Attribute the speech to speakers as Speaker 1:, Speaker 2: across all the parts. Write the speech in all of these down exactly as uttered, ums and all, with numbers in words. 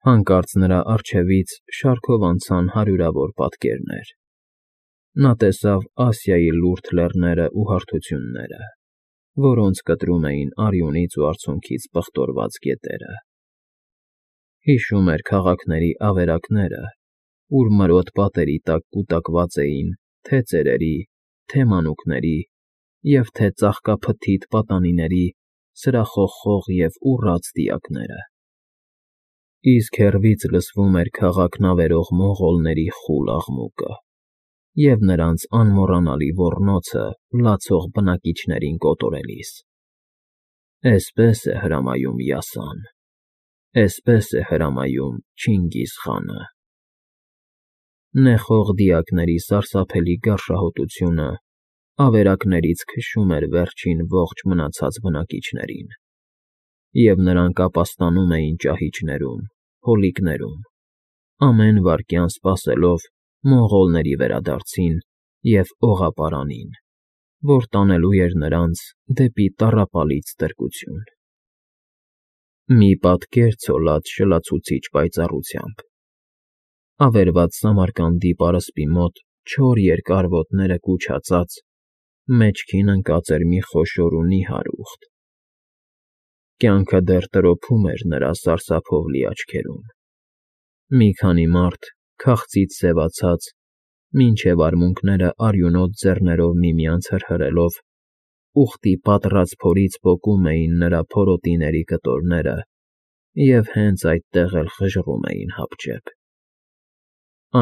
Speaker 1: Հանկարծ նրա առջևից շարքով անցան հարյուրավոր պատկերներ. նա տեսավ Ասիայի լուրջ լեռներն ու հարթությունները, որոնց կտրում էին արյունից ու արցունքից պղտորված գետերը. հիշում էր քաղաքների ավերակները, ուր մրոտ պատերի տակ կուտակված էին թե ծերերի, թե մանուկների և թե ծաղկափթիթ պատանիների սրախողխող և ուռած դիակները, իսկ հեռվից լսվում էր քաղաքն ավերող մոնղոլների խուլ աղմուկը և նրանց անմոռանալի ոռնոցը լացող բնակիչներին կոտորելիս. «Էսպես է հրամայում Յասան, էսպես է հրամայում Չինգիզ խանը»։ Նեխող դիակների սարսափելի գարշահոտությունը ավերակներից քշում էր վերջին ողջ մնացած բնակիչներին, և նրանք ապաստանում էին ճահիճներում, հոլիկներում, ամեն վայրկյան սպասելով մոնղոլների վերադարձին և օղապարանին, որ տանելու էր նրանց դեպի տառապալից ստրկություն։ Մի պատկեր ցոլած շլացուցիչ պայծառությամբ. ավերված Սամարկանդի պարսպի մոտ չոր երկար ոտները կուչածած, մեջքին ընկած էր մի խոշոր ու նիհար ուղտ. կյանքը դեռ տրոփում էր նրա սարսափով լի աչքերում։ Մի քանի մարդ, քաղցից սևացած, մինչև արմունկները արյունոտ ձեռներով միմյանց հրհրելով, ուղտի պատռած փորից պոկում էին նրա փորոտիների կտորները և հենց այդտեղ էլ խժռում էին հապճեպ։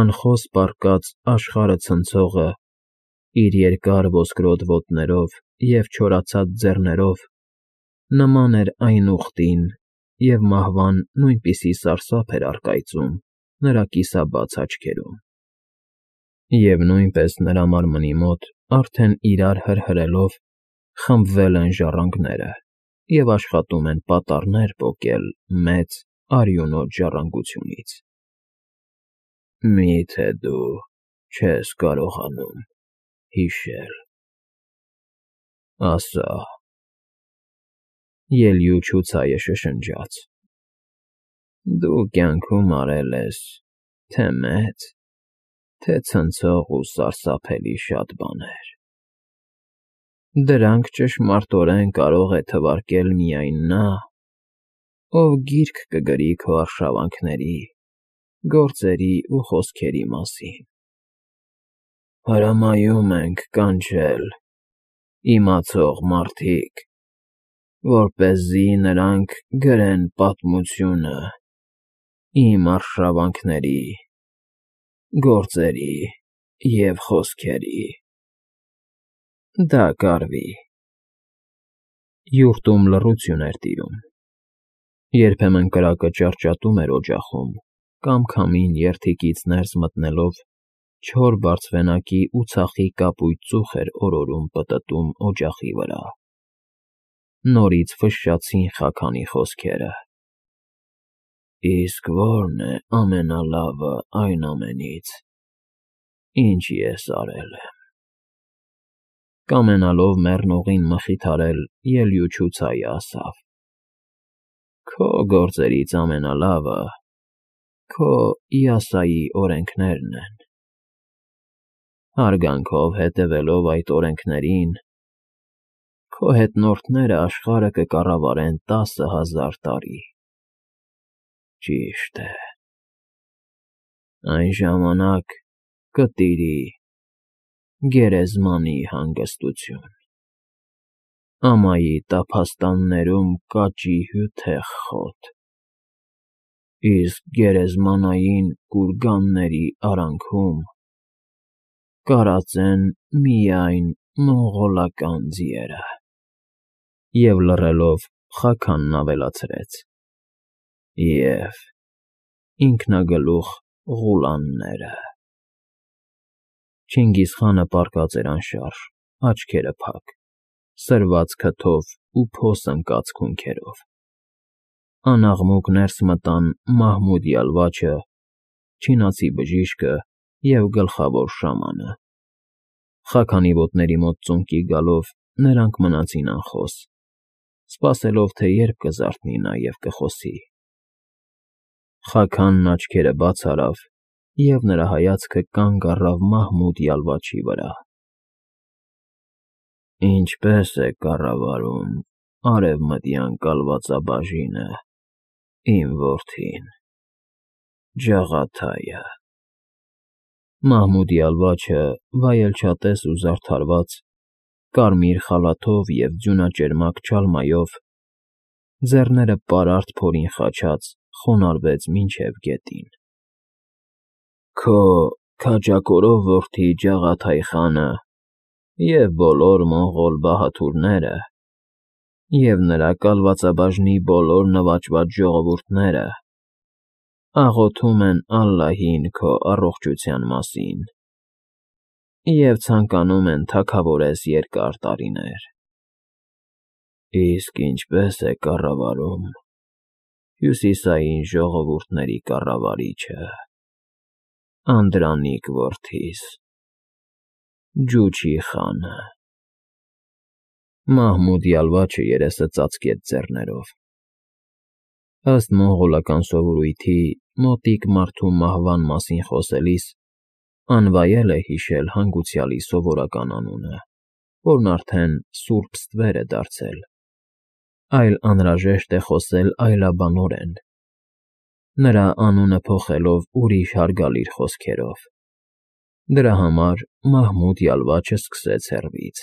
Speaker 1: Անխոս պառկած աշխարհը ցնցողը, իր երկար ոսկրոտ ոտներով և չորացած ձեռներով, նման էր այն ուղտին, և մահվան նույնպիսի սարսափ էր առկայծում նրա կիսաբաց աչքերում։ Եվ նույնպես նրա մարմնի մոտ արդեն իրար հրհրելով խմբվել են ժառանգները և աշխատում են պատառներ պոկել մեծ, արյունոտ ժառանգությունից։ «Մի՞թե դու չես կարողանում հիշել, ասա,֊ ելյուչուցայը շշնջաց,֊ դու կյանքում արել ես թե մեծ, թե ցնցող ու սարսափելի շատ բաներ… Դրանք ճշմարտորեն կարող է թվարկել միայն նա, ով գիրք կգրի քո արշավանքների, գործերի ու խոսքերի մասին… Հրամայում ենք կանչել իմացող մարդիկ, որպեսզի նրանք գրեն պատմությունը իմ արշավանքների, գործերի և խոսքերի… Դա կարվի…»։ Յուրտում լռություն էր տիրում։ Երբեմն կրակը ճարճատում էր օջախում կամ քամին երդիկից ներս մտնելով չոր բարձվենակի ու ցախի կապույտ ծուխ էր օրորում պտտում օջախի վրա։ Նորից ֆշշացին Խաքանի խոսքերը. «Իսկ ո՞րն է ամենալավը այն ամենից, ինչ ես արել եմ»։ Կամենալով մեռնողին մխիթարել, ելյուչուցայը ասավ. «Քո գործերից ամենալավը քո Յասայի օրենքներն են։ Հարգանքով հետևելով այդ օրենքներին, քո հետնորդները աշխարհը կկառավարեն տասը հազար տարի։ Ճիշտ է, այն ժամանակ կտիրի գերեզմանի հանգստություն, ամայի տափաստաններում կաճի հյութեղ խոտ, իսկ գերեզմանային կուրգանների արանքում կարածեն միայն մոնղոլական ձիերը»։ Եվ լռելով Խաքանն ավելացրեց. «Եվ ինքնագլուխ Ղուլանները»։ Չինգիզխանը պառկած էր անշարժ, աչքերը փակ, սրված քթով ու փոս ընկած քունքերով։ Անաղմուկ ներս մտան Մահմուդ Յալվաչը, չինացի բժիշկը և գլխավոր շամանը։ Խաքանի ոտների մոտ ծունկի գալով նրանք մնացին անխոս, սպասելով, թե երբ կզարթնի նա և կխոսի։ Խաքանն աչքերը բաց արավ, և նրա հայացքը կանգ առավ Մահմուդ յալվաչի վրա։ Ինչպե՞ս է կառավարում արևմտյան կալվածաբաժինը, իմ որդին, ջաղաթայը։ Մահմուդ յալվաչը, վայելչատես ու զարդարված, կարմիր խալաթով և ձյունաճերմակ չալմայով, ձեռները պարարտ փորին խաչած, խոնարհվեց մինչև գետին։ Քո քաջակորով որդի Ջաղաթայ խանը և բոլոր մոնղոլ բահադուրները և նրա կալվածաբաժնի բոլոր նվաճված ժողովուրդները աղոթում են ալլահին քո առողջության մասին և ցանկանում են թագավորես երկար տարիներ։ Իսկ ինչպե՞ս է կառավարում հյուսիսային ժողովուրդների կառավարիչը, Անդրանիկ որդիս, Ջուչի խանը։ Մահմուդ յալվաչը երեսը ծածկեց ձեռներով։ Ըստ մոնղոլական սովորույթի, մոտիկ մարդու մահվան մասին խոսելիս անվայել է հիշել հանգուցյալի սովորական անունը, որն արդեն սուրբ ստվեր է դարձել, այլ անհրաժեշտ է խոսել այլաբանորեն, նրա անունը փոխելով ուրիշ հարգալից խոսքերով։ Դրա համար Մահմուդ յալվաչը սկսեց հեռվից.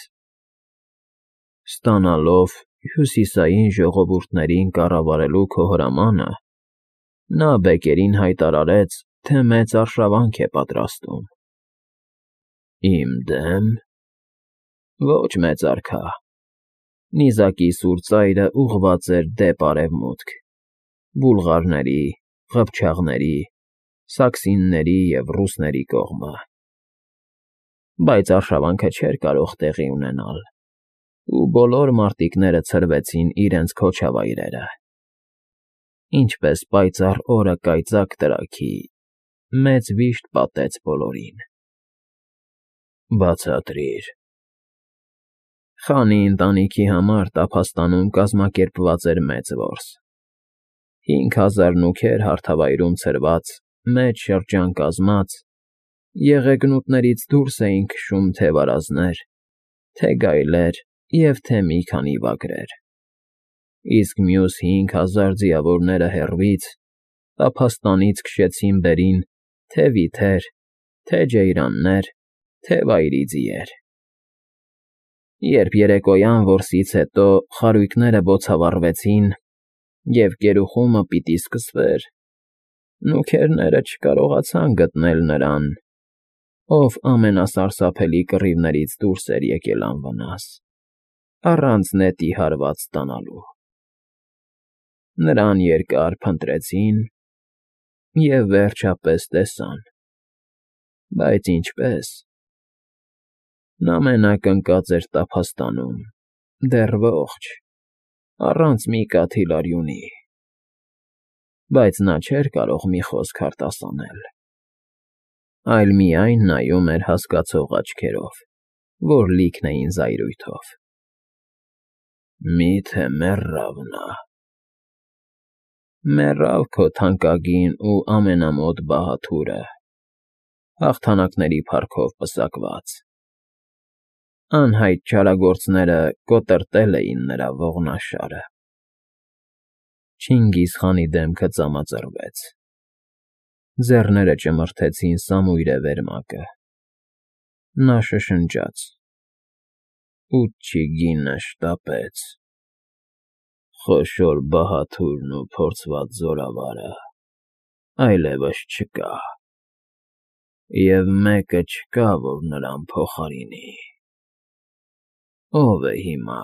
Speaker 1: Ստանալով հյուսիսային ժողովուրդներին կառավարելու քո հրամանը, նա բեկերին հայտարարեց, թե մեծ արշավանք է պատրաստում։ Իմ դե՞մ։ Ոչ, մեծ արքա։ Նիզակի սուր ծայրը ուղղված էր դեպ արևմուտք, բուլղարների, ղփչաղների, սաքսինների և ռուսների կողմը։ Բայց արշավանքը չէր կարող տեղի ունենալ, ու բոլոր մարտիկները ցրվեցին իրենց քոչավայրերը։ Ինչպես պայծառ օրը կայծակ տրաքի, մեծ վիշտ պատեց բոլորին։ Բացատրիր։ Խանի ընտանիքի համար տափաստանում կազմակերպված էր մեծ որս։ Հինգ հազար նուգեր հարթավայրում ցրված, մեծ շրջան կազմած, եղեգնուտներից դուրս էին քշում թե՛ վարազներ, թե՛ գայլեր և թե՛ մի քանի վագրեր, իսկ մյուս հինգ հազար ձիավորները հեռվից, տափաստանից քշեցին բերին թե՛ վիթեր, թե՛ ջեյրաններ, թե՛ վայրի ձիեր։ Երբ երեկոյան որսից հետո խարույկները բոցավառվեցին և կերուխումը պիտի սկսվեր, նուգերները չկարողացան գտնել նրան, ով ամենասարսափելի կռիվներից դուրս էր եկել անվնաս, առանց նետի հարված ստանալու։ Նրան երկար փնտրեցին և վերջապես տեսան, բայց ինչպե՞ս։ Նա մենակ ընկած էր տափաստանում, դեռ ողջ, առանց մի կաթիլ արյունի, բայց նա չէր կարող մի խոսք արտասանել, այլ միայն նայում էր հասկացող աչքերով, որ լիքն էին զայրույթով։ Մի՞թե մեռավ նա։ Մեռավ քո թանկագին ու ամենամոտ բահադուրը, հաղթանակների փառքով պսակված։ Անհայտ չարագործները կոտրտել էին նրա ողնաշարը։ Չինգիզխանի դեմքը ծամածռվեց, ձեռները ճմրթեցին սամույրե վերմակը։ Նա շշնջաց. Ուչչիգինը շտապեց, խոշոր բահադուրն ու փորձված զորավարը այլևս չկա, և մեկը չկա, որ նրան փոխարինի։ Ո՞վ է հիմա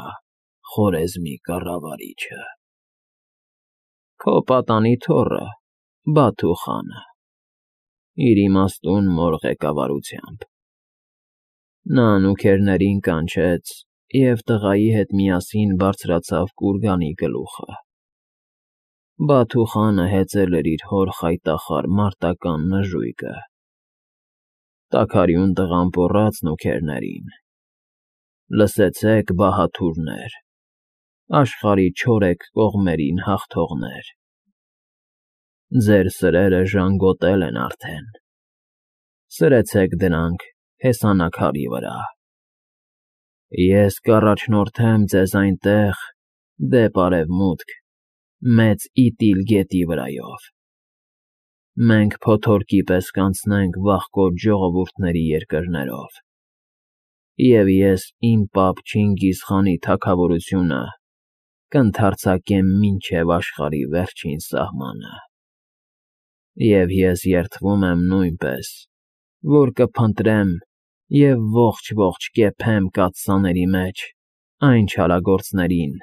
Speaker 1: Խորեզմի կառավարիչը։ Քո պատանի թոռը Բաթու խանը, իր իմաստուն մոր ղեկավարությամբ։ Նա նուգերներին կանչեց և տղայի հետ միասին բարձրացավ կուրգանի գլուխը։ Բաթու խանը հեծել էր իր հոր խայտախառ մարտական նժույգը։ Տաքարյուն տղամպոռաց նուգերներին. Լսեցե՛ք, բահադուրներ, աշխարհի չորեքկողմերին հաղթողներ։ Ձեր սրերը ժանգոտել են արդեն, սրեցեք դրանք հեսանաքարի վրա։ Ես կառաջնորդեմ ձեզ այնտեղ, դեպ արևմուտք, մեծ Իտիլ գետի վրայով։ Մենք փոթորկի պես կանցնենք վախկոտ ժողովուրդների երկրներով, և ես իմ պապ Չինգիզ խանի թագավորությունը կընդարձակեմ մինչև աշխարհի վերջին սահմանը։ Եվ ես երդվում եմ նույնպես, որ կփնտրեմ և ողջ֊ողջ կեփեմ կաթսաների մեջ այն չարագործներին,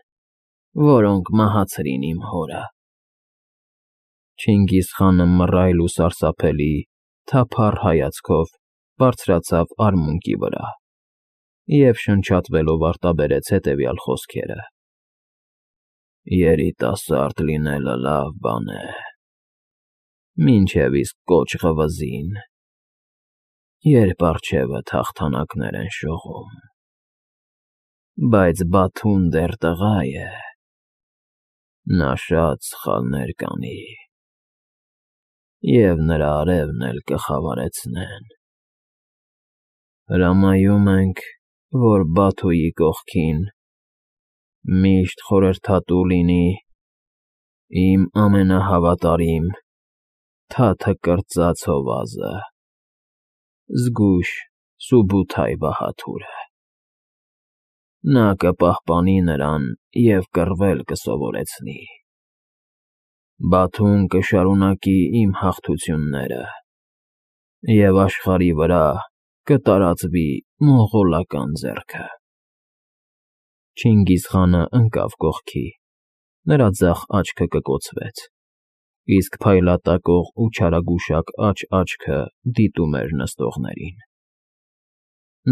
Speaker 1: որոնք մահացրին իմ հորը։ Չինգիզ խանը մռայլ ու սարսափելի, թափառ հայացքով բարձրացավ արմունկի վրա և շնչատվելով արտաբերեց հետևյալ խոսքերը. «Երիտասարդ լինելը լավ բան է, մինչև իսկ կոճղը վզին, երբ առջևդ հաղթանակներ են շողում, բայց Բաթուն դեռ տղա է, նա շատ սխալներ կանի, և նրա արևն էլ կխավարեցնեն։ Հրամայում ենք, որ Բաթուի կողքին միշտ խորհրդատու լինի իմ ամենահավատարիմ թաթը կրծած հովազը՝ զգույշ Սուբութայ բահադուրը։ Նա կպահպանի նրան և կռվել կսովորեցնի։ Բաթուն կշարունակի իմ հաղթությունները, և աշխարհի վրա կտարածվի մոնղոլական ձեռքը»։ Չինգիզ խանը ընկավ կողքի, նրա ձախ աչքը կկոցվեց, իսկ փայլատակող ու չարագուշակ աջ աչքը դիտում էր նստողներին։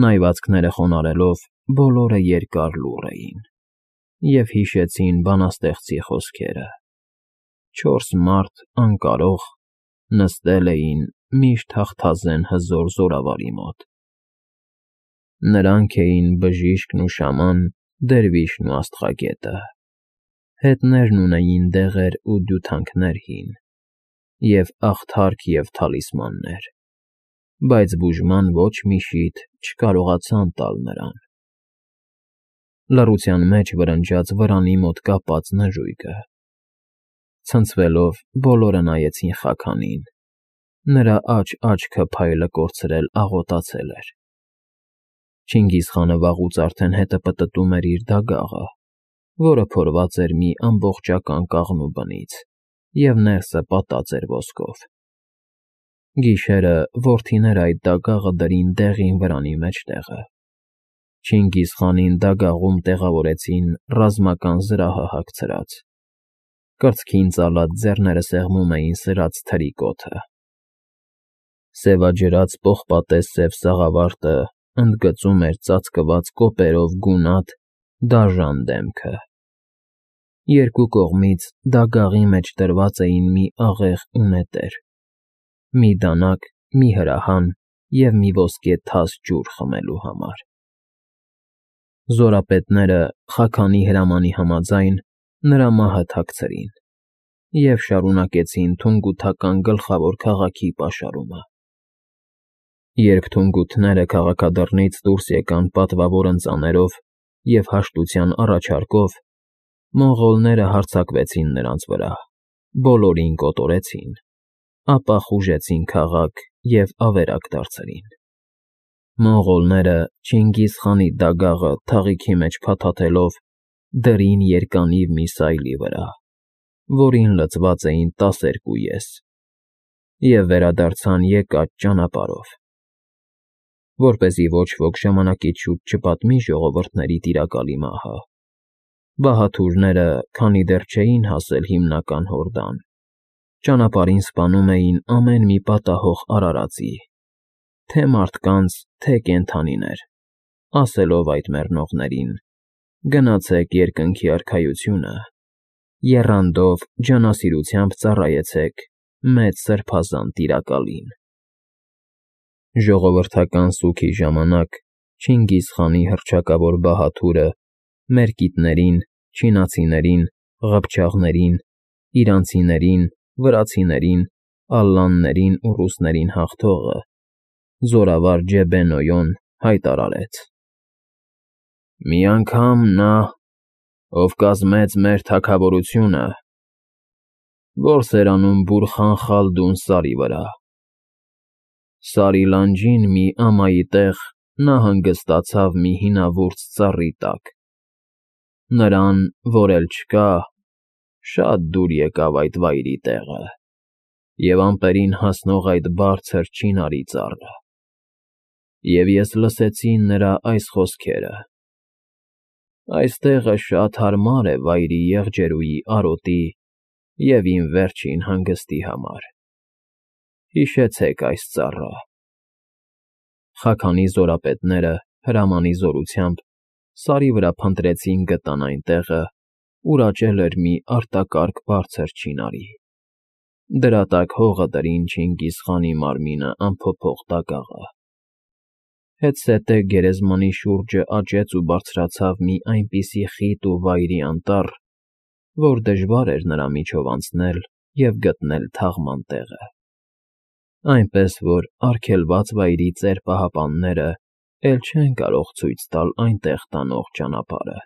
Speaker 1: Նայվածքները խոնարհելով բոլորը երկար լուռ էին և հիշեցին բանաստեղծի խոսքերը. չորս մարդ անկարող նստել էին միշտ հաղթազեն հզոր զորավարի մոտ. նրանք էին Բժիշկն ու Շաման, Դերվիշն ու Աստղագետը, հետներն ունեին դեղեր ու դյութանքներ հին, և աղթարք և թալիսմաններ, բայց բուժման ոչ մի շիթ չկարողացան տալ նրան։ Լռության մեջ վրնջաց վրանի մոտ կապած նժույգը։ Ցնցվելով բոլորը նայեցին Խաքանին, նրա աջ աչքը փայլը կորցրել աղոտացել էր։ Չինգիզ խանը վաղուց արդեն հետը պտտում էր իր դագաղը, որը փորված էր մի ամբողջական կաղնու բնից և ներսը պատած էր ոսկով։ Գիշերը որդիները այդ դագաղը դրին դեղին վրանի մեջտեղը։ Չինգիզ խանին դագաղում տեղավորեցին ռազմական զրահը հագցրած։ Կրծքին ծալած ձեռները սեղմում էին սրած թրի կոթը։ Սևաջրած պողպատե սև սաղավարտը ընդգծում էր ծածկված կոպերով գունատ, դաժան դեմքը։ Երկու կողմից դագաղի մեջ դրված էին մի աղեղ ու նետեր, մի դանակ, մի հրահան և մի ոսկե թաս ջուր խմելու համար։ Զորապետները, Խաքանի հրամանի համաձայն, նրա մահը թաքցրին և շարունակեցին թունգութական գլխավոր քաղաքի պաշարումը։ Երբ թունգութները քաղաքադռնից դուրս եկան պատվավոր ընծաներով և հաշտության առաջարկով, մոնղոլները հարձակվեցին նրանց վրա, բոլորին կոտորեցին, ապա խուժեցին քաղաք և ավերակ դարձրին։ Մոնղոլները Չինգիզ խանի դագաղը թաղիքի մեջ փաթաթելով դրին երկանիվ մի սայլի վրա, որին լցված էին տասներկու ես, և վերադարձան եկած ճանապարհով։ Որպեսզի ոչ ոք ժամանակից շուտ չպատմի ժողովուրդների տիրակալի մահը, բահադուրները, քանի դեռ չէին հասել հիմնական Հորդան, ճանապարհին սպանում էին ամեն մի պատահող արարածի, թե՛ մարդկանց, թե՛ կենդանիներ, ասելով այդ մեռնողներին. «Գնացեք երկնքի արքայությունը, եռանդով ջանասիրությամբ ծառայեցեք մեծ սրբազան տիրակալին»։ Ժողովրդական սուգի ժամանակ Չինգիզ խանի հռչակավոր բահադուրը մերկիտներին, չինացիներին, ղփչաղներին, իրանցիներին վրացիներին, ալլաններին ու ռուսներին հաղթողը, զորավար Ջեբեն֊Օյոն հայտարարեց. «Մի անգամ նա, ով կազմեց մեր թագավորությունը, որս էր անում Բուրխան Խալդուն սարի վրա, Սարի լանջին մի ամայի տեղ նա հանգստացավ մի հինավուրց ծառի տակ, նրան, որ էլ չկա, շատ դուր եկավ այդ վայրի տեղը և ամպերին հասնող այդ բարձր չինարի ծառը, և ես լսեցի նրա այս խոսքերը. «Այս տեղը շատ հարմար է վայրի եղջերուի արոտի և իմ վերջին հանգստի համար, հիշեցեք այս ծառը»։ Խաքանի զորապետները հրամանի զորությամբ Սարի վրա փնտրեցին գտան այն տեղը, ուր աճել էր մի արտակարգ բարձր չինարի, դրա տակ հողը դրին Չինգիզ խանի մարմինը անփոփոխ դագաղը, հետզհետե գերեզմանի շուրջը աճեց ու բարձրացավ մի այնպիսի խիտ ու վայրի անտառ, որ դժվար էր նրա միջով անցնել և գտնել թաղման տեղը, այնպես որ արգելված վայրի ծեր պահապաններն էլ չեն կարող ցույց տալ այնտեղ տանող ճանապարհը։